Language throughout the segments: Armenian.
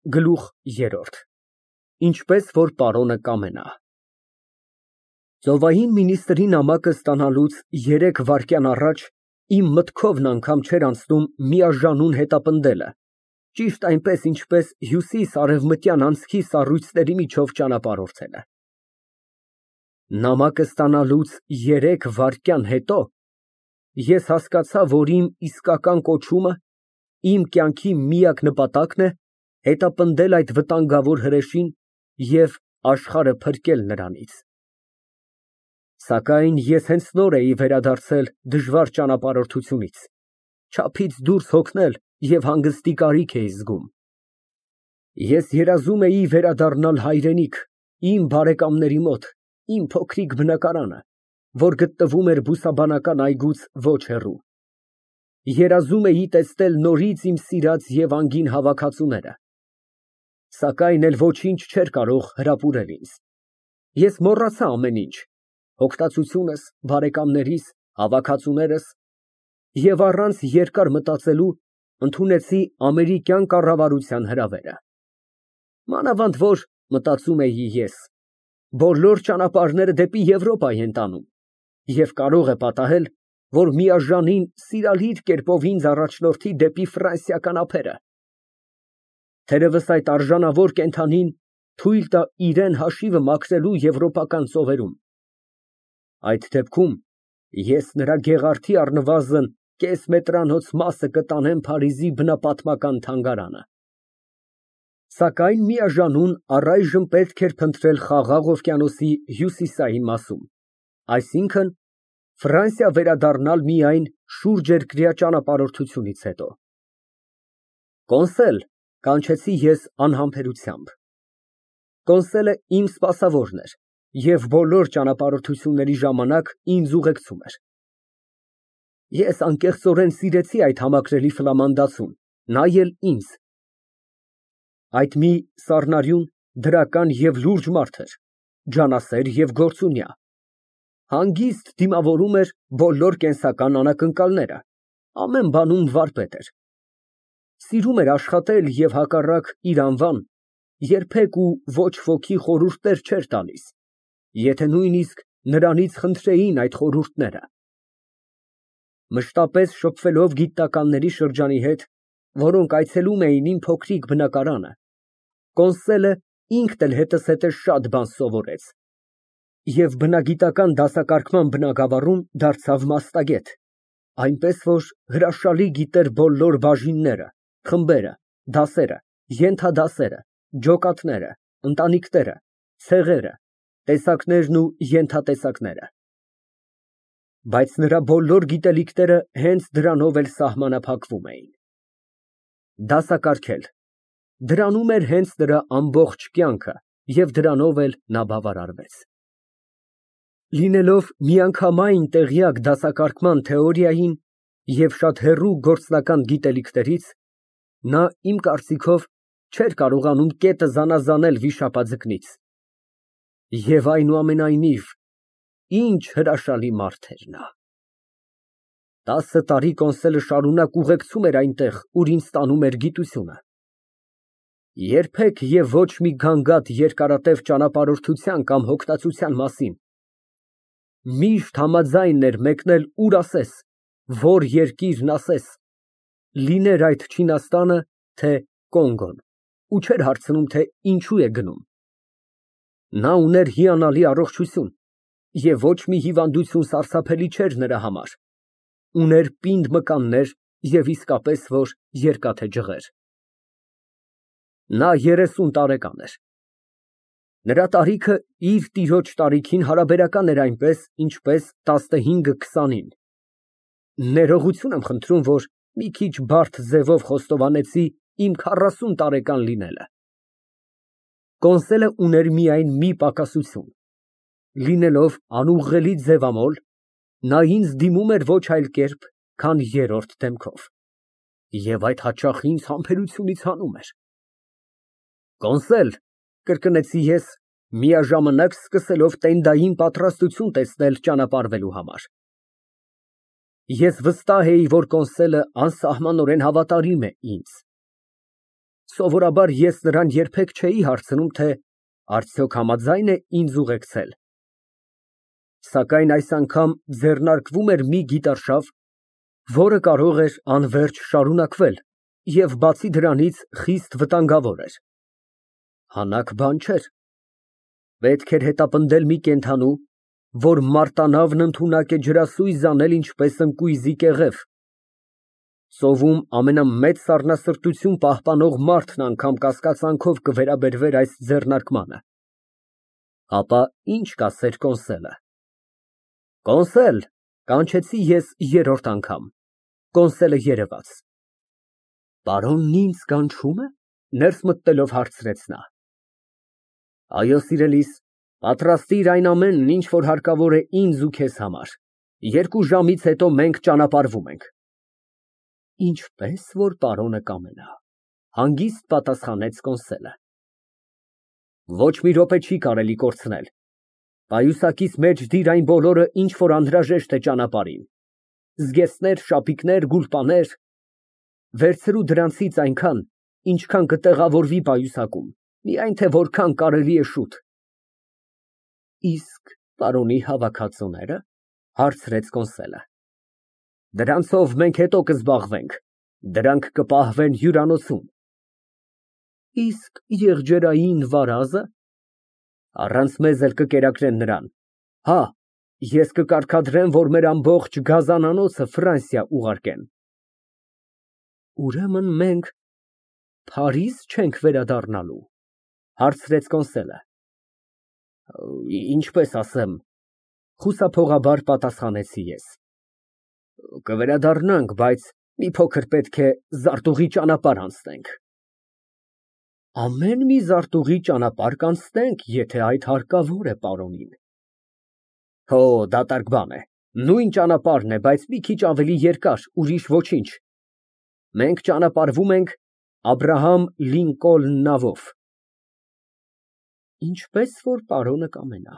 Գլուխ ԵՐՐՈՐԴ Ինչպես որ պարոնը կամենա Ծովային մինիստրի նամակը ստանալուց 3 վայրկյան առաջ իմ մտքովն անգամ չէր անցնում միաժանուն հետապնդելը, ճիշտ այնպես, ինչպես հյուսիս֊արևմտյան անցքի սառույցների միջով ճանապարհորդելը։ Նամակը ստանալուց 3 վայրկյան հետո ես հասկացա, որ իմ իսկական կոչումը, իմ կյանքի միակ նպատակն է հետապնդել այդ վտանգավոր հրեշին և աշխարհը փրկել նրանից։ Սակայն ես հենց նոր էի վերադարձել դժվար ճանապարհորդությունից, չափից դուրս հոգնել և հանգստի կարիք էի զգում։ Ես երազում էի վերադառնալ հայրենիք, իմ բարեկամների մոտ, իմ փոքրիկ բնակարանը, որ գտնվում էր բուսաբանական այգուց ոչ հեռու։ Երազում էի տեսնել նորից իմ սիրած և անգին հավաքածուները, սակայն էլ ոչինչ չէր կարող հրապուրել ինձ։ Ես մոռացա ամեն ինչ, հոգնածությունս, բարեկամներիս, հավաքածուներս և առանց երկար մտածելու ընդունեցի ամերիկյան կառավարության հրավերը։ Մանավանդ որ, մտածում էի ես, բոլոր ճանապարհները դեպի Եվրոպա են տանում և կարող է պատահել, որ միաժամին սիրալիր կերպով ինձ առաջնորդի դեպի ֆրանսիական ափերը։ Թերևս այդ արժանավոր կենդանին թույլ տա իրան հաշիվը մաքրելու եվրոպական ծովերում։ Այդ դեպքում ես նրա գեղարդի առնվազն կես մետրանոց մասը կտանեմ Փարիզի բնապատմական թանգարանը։ Սակայն միաժամանուն առայժմ պետք էր փնտրել Խաղաղ օվկիանոսի հյուսիսային մասում, այսինքն՝ Ֆրանսիա վերադառնալ միայն շուրջերկրյա ճանապարհորդությունից հետո։ Կոնսել, կանչեցի ես անհամբերությամբ։ Կոնսելը իմ սպասավորն էր և բոլոր ճանապարհորդությունների ժամանակ ինձ ուղեկցում էր։ Ես անկեղծորեն սիրեցի այդ համակրելի ֆլամանդացուն, նա էլ ինձ։ Այդ մի սառնարյուն, դրական և լուրջ մարդ էր, ջանասեր և գործունյա, հանգիստ դիմավորում էր բոլոր կենսական անակնկալները, ամեն բանում վարպետ էր։ Սիրում էր աշխատել և հակառակ իր անվան, երբեք ու ոչ ոքի խորհուրդներ չէր տալիս, եթե նույնիսկ նրանից խնդրեին այդ խորհուրդները։ Մշտապես շփվելով գիտնականների շրջանի հետ, որոնք այցելում էին իմ փոքրիկ բնակարանը, կոնսելը ինքն էլ հետզհետե շատ բան սովորեց և բնագիտական դասակարգման բնագավառում դարձավ մասնագետ, այնպես որ հրաշալի գիտեր բոլոր բաժինները, խմբերը, դասերը, ենթադասերը, ջոկատները, ընտանիքները, ցեղերը, տեսակներն ու ենթատեսակները։ Բայց նրա բոլոր գիտելիքները հենց դրանով էլ սահմանափակվում էին։ Դասակարգել, դրանում էր հենց նրա ամբողջ կյանքը և դրանով էլ նա բավարարվեց։ Լինելով միանգամայն տեղյակ դասակարգման թեորիային և շատ հեռու գործնական գիտելիքներից, նա, իմ կարծիքով, չէր կարողանում կետը զանազանել վիշապաձկնից։ Եվ այնուամենայնիվ, ինչ հրաշալի մարդ էր նա։ 10 տարի կոնսելը շարունակ ուղեկցում էր այնտեղ, ուր ինձ տանում էր գիտությունը։ Երբեք և ոչ մի գանգատ երկարատև ճանապարհորդության կամ հոգնածության մասին։ Միշտ համաձայն էր մեկնել ուր ասես, որ երկիրն ասես, լիներ այդ Չինաստանը, թե Կոնգոն, ու չէր հարցնում, թե ինչու է գնում։ Նա ուներ հիանալի առողջություն և ոչ մի հիվանդություն սարսափելի չէր նրա համար, ուներ պինդ մկաններ և իսկապես որ երկաթե ջղեր։ Նա 30 տարեկան էր։ Նրա տարիքը իր տիրոջ տարիքին հարաբերական էր այնպես, ինչպես 15-20-ին։ Ներողություն եմ խնդրում, որ մի քիչ բարդ ձևով խոստովանեցի իմ 40 տարեկան լինելը։ Կոնսելը ուներ միայն մի պակասություն. լինելով անուղղելի ձևամոլ, նա ինձ դիմում էր ոչ այլ կերպ, քան երրորդ դեմքով, և այդ հաճախ ինձ համբերությունից հանում էր։ Կոնսել, կրկնեցի ես, միաժամանակ սկսելով տենդային պատրաստություն տեսնել ճանապարհվելու համար։ Ես վստահ էի, որ կոնսելը անսահմանորեն հավատարիմ է ինձ։ Սովորաբար ես նրան երբեք չէի հարցնում, թե արդյոք համաձայն է ինձ ուղեկցել, սակայն այս անգամ ձեռնարկվում էր մի գիտարշավ, որը կարող էր անվերջ շարունակվել և բացի դրանից խիստ վտանգավոր էր։ Հանաք բան չէր։ Պետք էր հետապնդել մի կենդանու, որ մարտանավն ընդունակ է ջրասույզ անել ինչպես ընկույզի կեղև, ծովում ամենամեծ սառնասրտություն պահպանող մարդն անգամ կասկածանքով կվերաբերվեր այս ձեռնարկմանը։ Ապա ինչ կասեր կոնսոլը։ Կոնսել, կանչեցի ես երրորդ անգամ։ Կոնսոլը երևաց։ Պարոնն ինձ կանչում է, ներս մտնելով հարցրեց նա։ Այո, սիրելիս, պատրաստիր այն ամենն, ինչ որ հարկավոր է ինձ ու քեզ համար։ 2 ժամից հետո մենք ճանապարհվում ենք։ Ինչպես որ պարոնը կամենա, հանգիստ պատասխանեց կոնսոլը։ Ոչ մի րոպե չի կարելի կորցնել։ Պայուսակից մեջ դիր այն բոլորը, ինչ որ անհրաժեշտ է ճանապարհին։ Զգեստներ, շապիկներ, գուլպաներ։ Վերցրու դրանցից այնքան, ինչքան կտեղավորվի պայուսակում, միայն թե որքան կարելի է շուտ։ Իսկ պարոնի հավաքածուները, հարցրեց կոնսոլը։ Դրանցով մենք հետո կզբաղվենք, դրանք կպահվեն հյուրանոցում։ Իսկ եղջերային վարազը։ Առանց մեզ էլ կկերակրեն նրան։ Հա, ես կկարգադրեմ, որ մեր ամբողջ գազանանոցը Ֆրանսիա ուղարկեն։ Ուրեմն մենք Փարիզ չենք վերադառնալու, հարցրեց կոնսոլը։ Ինչպես ասեմ, խուսափողաբար պատասխանեցի ես։ Կվերադառնանք, բայց մի փոքր պետք է զարտուղի ճանապարհ անցնենք։ Ամեն մի զարտուղի ճանապարհ կանցնենք, եթե այդ հարկավոր է պարոնին։ Հո, դատարկ բան է, նույն ճանապարհն է, բայց մի քիչ ավելի երկար, ուրիշ ոչինչ։ Մենք ճանապարհվում ենք Աբրահամ Լինկոլն նավով։ Ինչպես որ պարոնը կամենա,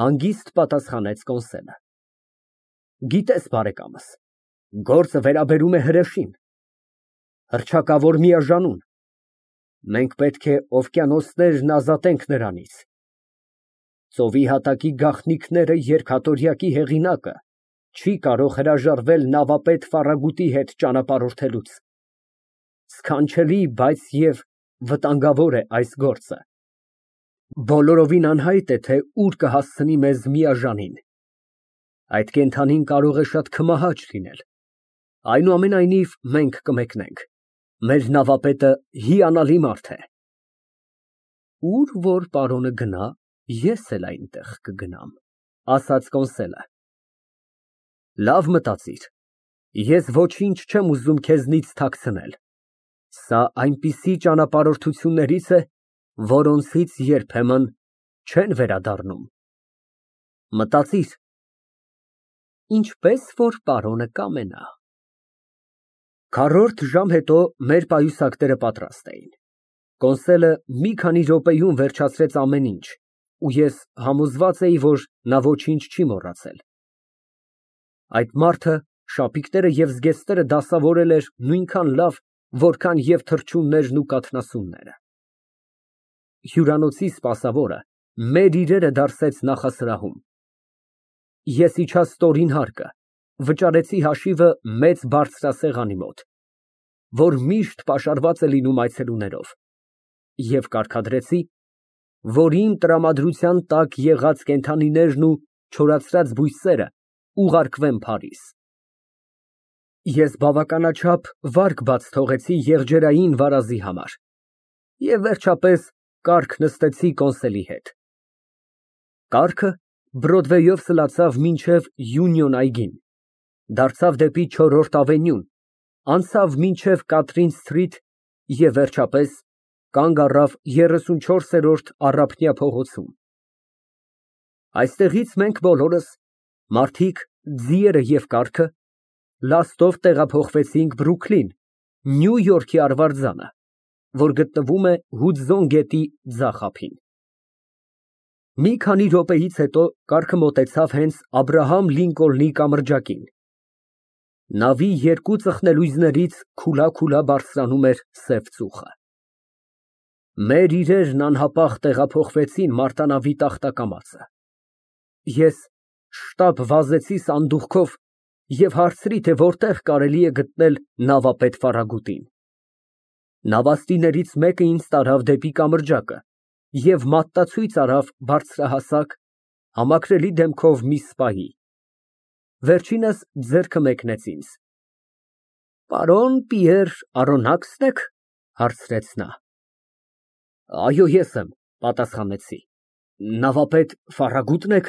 հանգիստ պատասխանեց կոնսոլը։ Գիտես, բարեկամս, գործը վերաբերում է հրեշին, հռչակավոր միաժանուն։ Մենք պետք է օվկիանոսներն ազատենք նրանից։ Ծովի հատակի գաղտնիքները երկաթորյակի հեղինակը չի կարող հրաժարվել նավապետ Ֆարագուտի հետ ճանապարհորդելուց։ Սքանչելի, բայց և վտանգավոր է այս գործը։ Բոլորովին անհայտ է, թե ուր կհասցնի մեզ միաժանին։ Այդ կենդանին կարող է շատ քմահաճ լինել։ Այնուամենայնիվ, մենք կմեկնենք։ Մեր նավապետը հիանալի մարդ է։ Ուր որ պարոնը գնա, ես էլ այնտեղ կգնամ, ասաց կոնսոլը։ Լավ մտածիր։ Ես ոչինչ չեմ ուզում քեզնից թաքցնել։ Սա այնպիսի ճանապարհորդություններից է, որոնցից երբեմն չեն վերադառնում։ Մտածիր։ Ինչպես որ պարոնը կամենա։ Քառորդ ժամ հետո մեր պայուսակները պատրաստ էին։ Կոնսոլը մի քանի րոպեում վերջացրեց ամեն ինչ, ու ես համոզված էի, որ նա ոչինչ չի մոռացել։ Այդ մարդը շապիկները և զգեստները դասավորել էր նույնքան լավ, որքան և թռչուններն ու կաթնասունները։ Հյուրանոցի սպասավորը մեր իրերը դարսեց նախասրահում։ Ես իջա ստորին հարկը, վճարեցի հաշիվը մեծ բարձրասեղանի մոտ, որ միշտ պաշարված է լինում այցելուներով, և կարգադրեցի, որ իմ տրամադրության տակ եղած կենդանիներն ու չորացրած բույսերը ուղարկվեն Փարիզ։ Ես բավականաչափ վարկ բաց թողեցի եղջերային վարազի համար և վերջապես կառք նստեցի կոնսոլի հետ։ Կառքը Բրոդվեյով սլացավ մինչև Յունիոն այգին, դարձավ դեպի Չորրորդ ավենյուն, անցավ մինչև Կատրին սթրիթ և վերջապես կանգ առավ 34-րդ Առափնյա փողոցում։ Այստեղից մենք բոլորս, մարդիկ, ձիերը և կառքը, լաստով տեղափոխվեցինք Բրուքլին, Նյու Յորքի արվարձանը, որ գտնվում է Հուդզոն գետի ձախ ափին։ Մի քանի րոպեից հետո կառքը մոտեցավ հենց Աբրահամ Լինկոլնի կամրջակին։ Նավի երկու ծխնելույզներից քուլա֊քուլա բարձրանում էր սև ծուխը։ Մեր իրերն անհապաղ տեղափոխվեցին մարտանավի տախտակամածը։ Ես շտապ վազեցի սանդուղքով և հարցրի, թե որտեղ կարելի է գտնել նավապետ Ֆարագուտին։ Նավաստիներից մեկը ինձ տարավ դեպի կամրջակը և մատնացույց արավ բարձրահասակ, համակրելի դեմքով մի սպայի։ Վերջինս ձեռքը մեկնեց ինձ։ Պարոն Պիեր Արոնաքսն եք, հարցրեց նա։ Այո, ես եմ, պատասխանեցի։ Նավապետ Ֆարագուտն եք։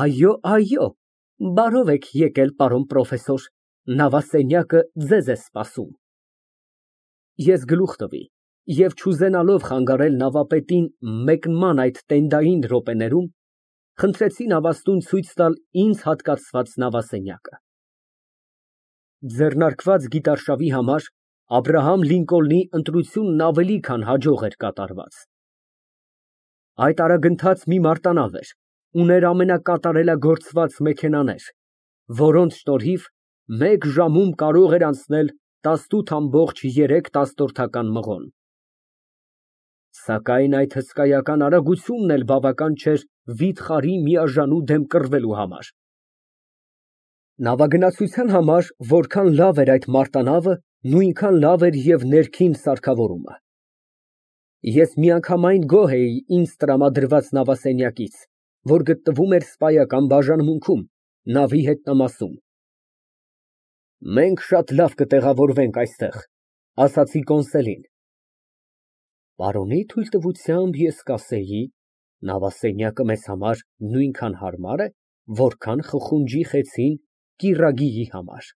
Այո, բարով եք եկել, պարոն պրոֆեսոր, նավասենյակը ձեզ է սպասում։ Ես գլուխ տվի և չուզենալով խանգարել նավապետին մեկնման այդ տենդային րոպեներում, խնդրեցի նավաստուն ցույց տալ ինձ հատկացված նավասենյակը։ Ձեռնարկված գիտարշավի համար Աբրահամ Լինկոլնի ընտրությունն ավելի քան հաջող էր կատարված։ Այդ արագընթաց մի մարտանավ էր, ուներ ամենակատարելագործված մեքենաներ, որոնց շնորհիվ մեկ ժամում կարող էր անցնել 18,3 մղոն։ Սակայն այդ հսկայական արագությունն էլ բավական չէր վիթխարի միաժամանուկ դեմ կռվելու համար։ Նավագնացության համար որքան լավ էր այդ մարտանավը, նույնքան լավ էր և ներքին սարքավորումը։ Ես միանգամայն գոհ էի ինձ տրամադրված նավասենյակից, որ գտնվում էր սպայական բաժանմունքում, նավի հետնամասում։ Մենք շատ լավ կտեղավորվենք այստեղ, ասացի կոնսելին։ Պարոնի թույլտվությամբ ես կասեի, նավասենյակը մեզ համար նույնքան հարմար է, որքան խխունջի խեցին կիրագիի համար,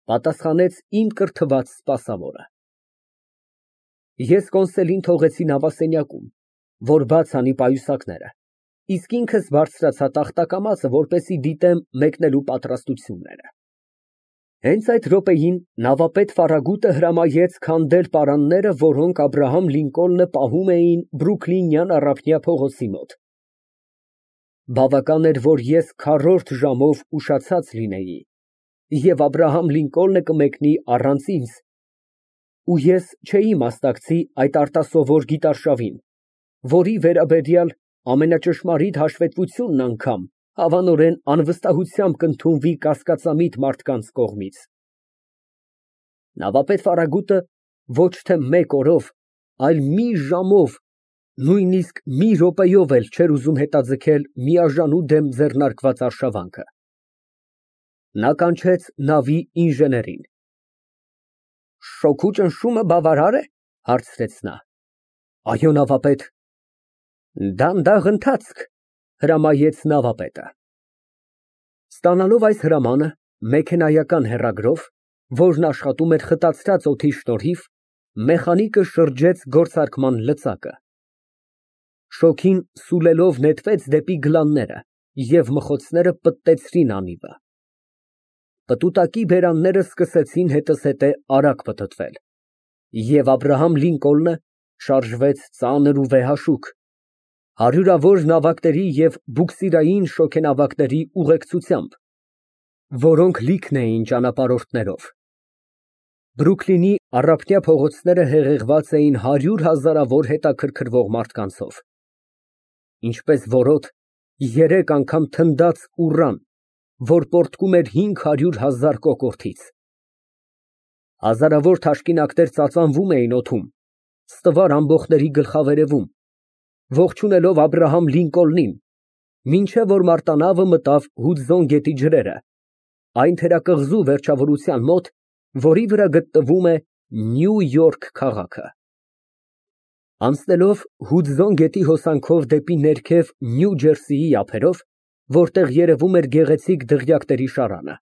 պատասխանեց իմ կրթված սպասավորը։ Ես կոնսելին թողեցի նավասենյակում, որ բաց անի պայուսակները, իսկ ինքս բարձրացա տախտակամածը, որպեսզի դիտեմ մեկնելու պատրաստությունները։ Հենց այդ րոպեին նավապետ Ֆարագուտը հրամայեց քանդել պարանները, որոնք Աբրահամ Լինկոլնը պահում էին Բրուքլինյան առափնյա փողոցի մոտ։ Բավական էր, որ ես քառորդ ժամով ուշացած լինեի, և Աբրահամ Լինկոլնը կմեկնի առանց ինձ, ու ես չէի մասնակցի այդ արտասովոր գիտարշավին, որի վերաբերյալ ամենաճշմարիտ հաշվետվությունն անգամ հավանորեն անվստահությամբ կընդունվի կասկածամիտ մարդկանց կողմից։ Նավապետ Ֆարագուտը ոչ թե մեկ օրով, այլ մի ժամով, նույնիսկ մի րոպեով էլ չէր ուզում հետաձգել միաժամանուկ դեմ ձեռնարկված արշավանքը։ Նա կանչեց նավի ինժեներին։ Շոգու ճնշումը բավարար է, հարցրեց նա։ Այո, նավապետ։ Դանդաղ ընթացք, հրամայեց նավապետը։ Ստանալով այս հրամանը, մեքենայական հեռագրով, որն աշխատում էր խտացրած օդի շնորհիվ, մեխանիկը շրջեց գործարկման լծակը։ Շոգին սուլելով նետվեց դեպի գլանները և մխոցները պտտեցրին անիվը։ Պտուտակի բերանները սկսեցին հետզհետե արագ պտտվել, և Աբրահամ Լինկոլնը շարժվեց ծանր ու վեհաշուք, հարյուրավոր նավակների և բուքսիրային շոգենավակների ուղեկցությամբ, որոնք լիքն էին ճանապարհորդներով։ Բրուքլինի առափնյա փողոցները հեղեղված էին հարյուր հազարավոր հետաքրքրվող մարդկանցով։ Ինչպես որոտ, երեք անգամ թնդաց ուռան, որ պոռթկում էր 500,000 կոկորդից։ Հազարավոր թաշկինակներ ծածանվում էին օդում, ստվար ամբոխների գլխավերևում, ողջունելով Աբրահամ Լինկոլնին, մինչև որ մարտանավը մտավ Հուդզոն գետի ջրերը, այն թերակղզու վերջավորության մոտ, որի վրա գտնվում է Նյու Յորք քաղաքը։ Անցնելով Հուդզոն գետի հոսանքով դեպի ներքև Նյու Ջերսիի ափերով, որտեղ երևում էր գեղեցիկ դղյակների շարանը,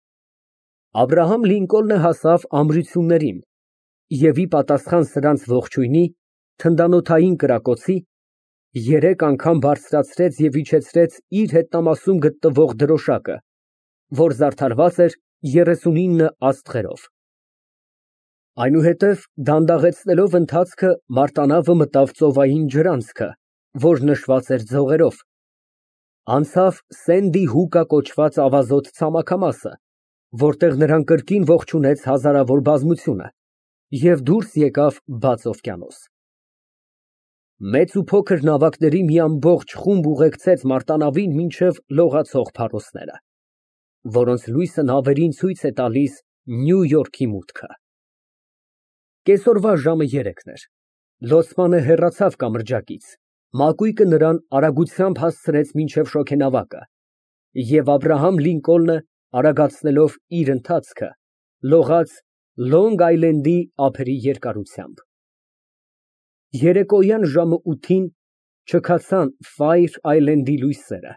Աբրահամ Լինկոլնը հասավ ամրություններին և ի պատասխան սրանց ողջույնի, թնդանոթային կրակոցի, երեք անգամ բարձրացրեց և իջեցրեց իր հետնամասում գտնվող դրոշակը, որ զարդարված էր 39 աստղերով։ Այնուհետև դանդաղեցնելով ընթացքը մարտանավը մտավ ծովային ջրանցքը, որ նշված էր ձողերով, անցավ Սենդի Հուկա կոչված ավազոտ ցամաքամասը, որտեղ նրան կրկին ողջունեց հազարավոր բազմությունը, և դուրս եկավ բաց օվկիանոս։ Մեծ ու փոքր նավակների մի ամբողջ խումբ ուղեկցեց մարտանավին մինչև լողացող փարոսները, որոնց լույսը նավերին ցույց է տալիս Նյու Յորքի մուտքը։ Կեսօրվա ժամը 3-ն էր։ Լոցմանը հեռացավ կամրջակից, մակույկը նրան արագությամբ հասցրեց մինչև շոգենավակը, և Աբրահամ Լինկոլնը, արագացնելով իր ընթացքը, լողաց Լոնգ Այլենդի ափերի երկարությամբ։ Երեկոյան ժամը 8-ին չքացան Ֆայր Այլենդի լույսերը,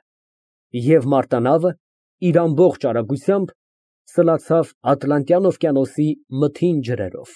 և մարտանավը իր ամբողջ արագությամբ սլացավ Ատլանտյան օվկիանոսի մթին ջրերով։